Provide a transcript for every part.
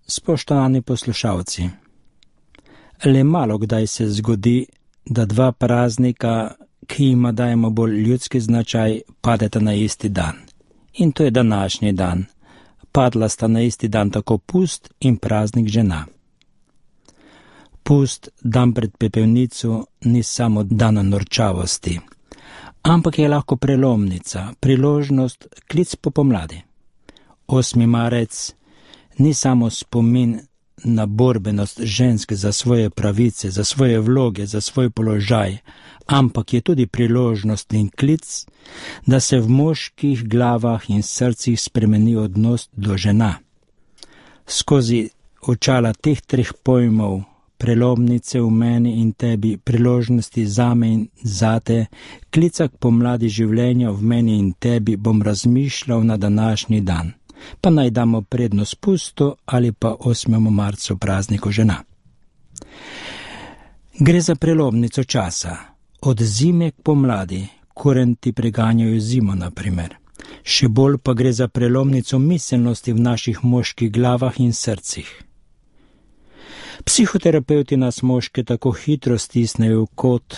Spoštovani poslušalci, le malo kdaj se zgodi, da dva praznika, ki jima dajemo bolj ljudski značaj, padeta na isti dan. In to je današnji dan. Padla sta na isti dan tako pust in praznik žena. Pust, dan pred pepelnico, ni samo dan norčavosti, ampak je lahko prelomnica, priložnost, klic po pomladi. 8. marec ni samo spomin na borbenost ženske za svoje pravice, za svoje vloge, za svoj položaj, ampak je tudi priložnost in klic, da se v moških glavah in srcih spremeni odnos do žena. Skozi očala teh treh pojmov, prelomnice v meni in tebi, priložnosti zame in zate, klica k pomladi življenja v meni in tebi, bom razmišljal na današnji dan. Pa naj damo prednost pustu ali pa 8. marcu prazniku žena. Gre za prelomnico časa, od zime k pomladi, kurenti preganjajo zimo, na primer. Še bolj pa gre za prelomnico miselnosti v naših moških glavah in srcih. Psihoterapeuti nas moške tako hitro stisnejo v kot,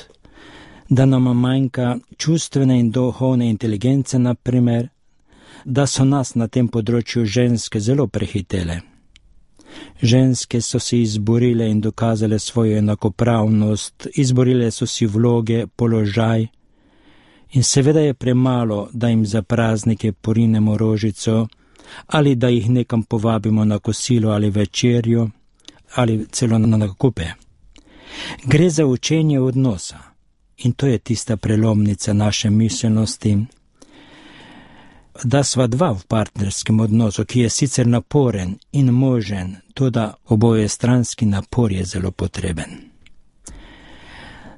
da nam manjka čustvene in duhovne inteligence, na primer, da so nas na tem področju ženske zelo prehitele. Ženske so si izborile in dokazale svojo enakopravnost, izborile so si vloge, položaj in seveda je premalo, da jim za praznike porinemo rožico ali da jih nekam povabimo na kosilo ali večerjo ali celo na nakupe. Gre za učenje odnosa in to je tista prelomnica naše miselnosti, da sva dva v partnerskem odnosu, ki je sicer naporen in možen, toda obojestranski napor je zelo potreben.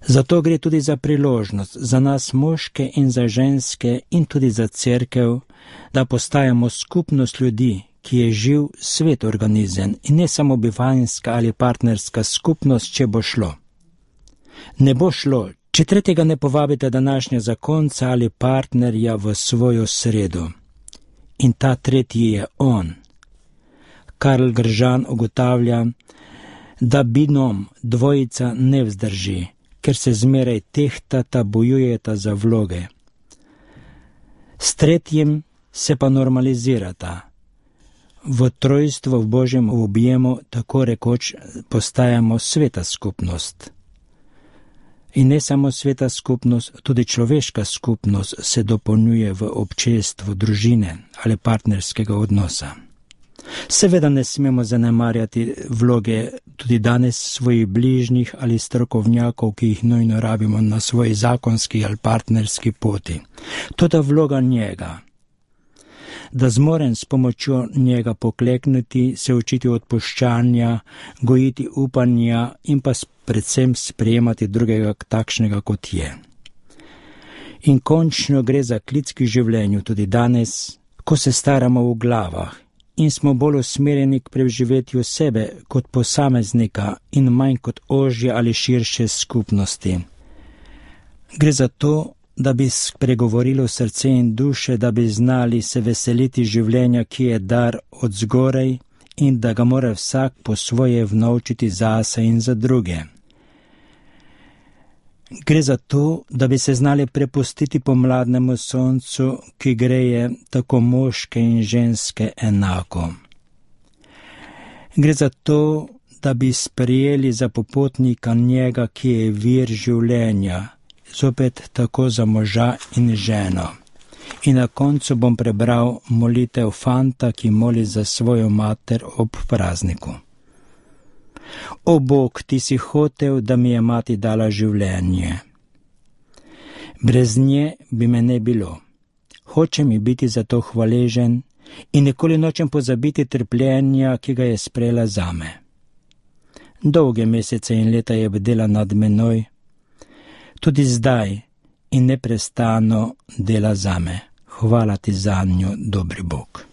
Zato gre tudi za priložnost za nas moške in za ženske in tudi za cerkev, da postajamo skupnost ljudi, ki je živ svet organizem in ne samo bivanjska ali partnerska skupnost, če bo šlo. Ne bo šlo, če tretjega ne povabite današnja zakonca ali partnerja v svojo sredo. In ta tretji je on. Karl Gržan ugotavlja, da binom dvojica ne vzdrži, ker se zmeraj tehtata, bojujeta za vloge. S tretjim se pa normalizirata. V trojstvu v Božjem objemu tako rekoč postajamo sveta skupnost. In ne samo sveta skupnost, tudi človeška skupnost se dopolnjuje v občestvu družine ali partnerskega odnosa. Seveda ne smemo zanemarjati vloge tudi danes svojih bližnjih ali strokovnjakov, ki jih nujno rabimo na svoji zakonski ali partnerski poti. Toda vloga njega, da zmorem s pomočjo njega pokleknuti, se učiti odpuščanja, gojiti upanja in pa predvsem sprejemati drugega takšnega, kot je. In končno gre za klic k življenju tudi danes, ko se staramo v glavah in smo bolj usmerjeni k preživetju sebe kot posameznika in manj kot ožje ali širše skupnosti. Gre za to, da bi spregovorilo srce in duše, da bi znali se veseliti življenja, ki je dar od zgoraj in da ga mora vsak po svoje vnovčiti zase in za druge. Gre za to, da bi se znali prepustiti pomladnemu soncu, ki greje tako moške in ženske enako. Gre za to, da bi sprejeli za popotnika njega, ki je vir življenja, zopet tako za moža in ženo. In na koncu bom prebral molitev fanta, ki moli za svojo mater ob prazniku. O Bog, ti si hotel, da mi je mati dala življenje. Brez nje bi me ne bilo. Hoče mi biti za to hvaležen in nikoli nočem pozabiti trpljenja, ki ga je sprejela zame. Dolge mesece in leta je bdela nad menoj, tudi zdaj in neprestano dela zame. Hvala ti zanjo, dobri Bog.